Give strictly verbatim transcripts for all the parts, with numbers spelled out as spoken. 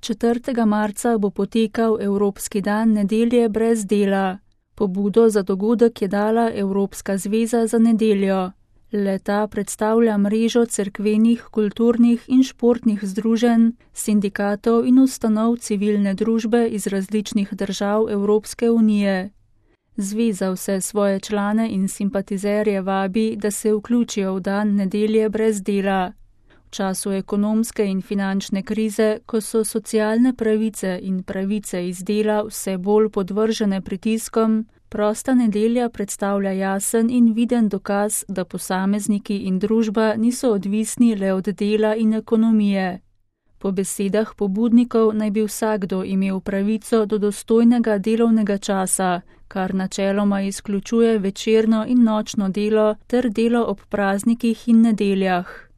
četrtega marca bo potekal Evropski dan nedelje brez dela. Pobudo za dogodek je dala Evropska zveza za nedeljo. Le-ta predstavlja mrežo cerkvenih, kulturnih in športnih združenj, sindikatov in ustanov civilne družbe iz različnih držav Evropske unije. Zveza vse svoje člane in simpatizerje vabi, da se vključijo v dan nedelje brez dela. V času ekonomske in finančne krize, ko so socialne pravice in pravice iz dela vse bolj podvržene pritiskom, prosta nedelja predstavlja jasen in viden dokaz, da posamezniki in družba niso odvisni le od dela in ekonomije. Po besedah pobudnikov naj bi vsakdo imel pravico do dostojnega delovnega časa, kar načeloma izključuje večerno in nočno delo ter delo ob praznikih in nedeljah.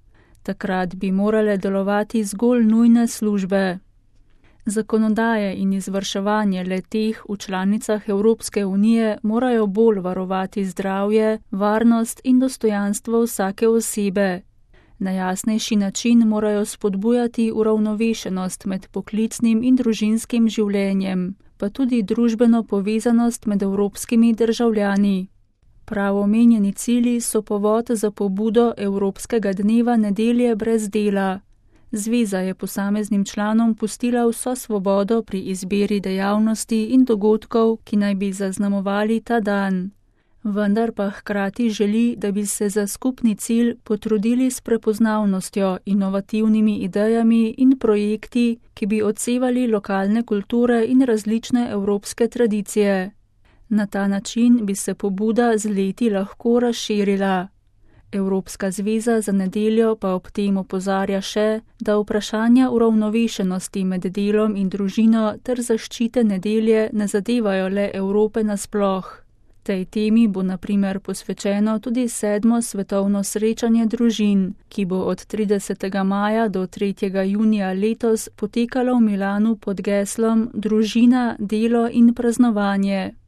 Takrat bi morale delovati zgolj nujne službe. Zakonodaje in izvrševanje le-teh v članicah Evropske unije morajo bolj varovati zdravje, varnost in dostojanstvo vsake osebe. Na jasnejši način morajo spodbujati uravnovešenost med poklicnim in družinskim življenjem, pa tudi družbeno povezanost med evropskimi državljani. Prav omenjeni cilji so povod za pobudo Evropskega dneva nedelje brez dela. Zveza je posameznim članom pustila vso svobodo pri izbiri dejavnosti in dogodkov, ki naj bi zaznamovali ta dan. Vendar pa hkrati želi, da bi se za skupni cilj potrudili s prepoznavnostjo, inovativnimi idejami in projekti, ki bi odsevali lokalne kulture in različne evropske tradicije. Na ta način bi se pobuda z leti lahko razširila. Evropska zveza za nedeljo pa ob tem opozarja še, da vprašanja uravnovešenosti med delom in družino ter zaščite nedelje ne zadevajo le Evrope nasploh. Tej temi bo na primer posvečeno tudi sedmo svetovno srečanje družin, ki bo od tridesetega maja do tretjega junija letos potekalo v Milanu pod geslom Družina, delo in praznovanje.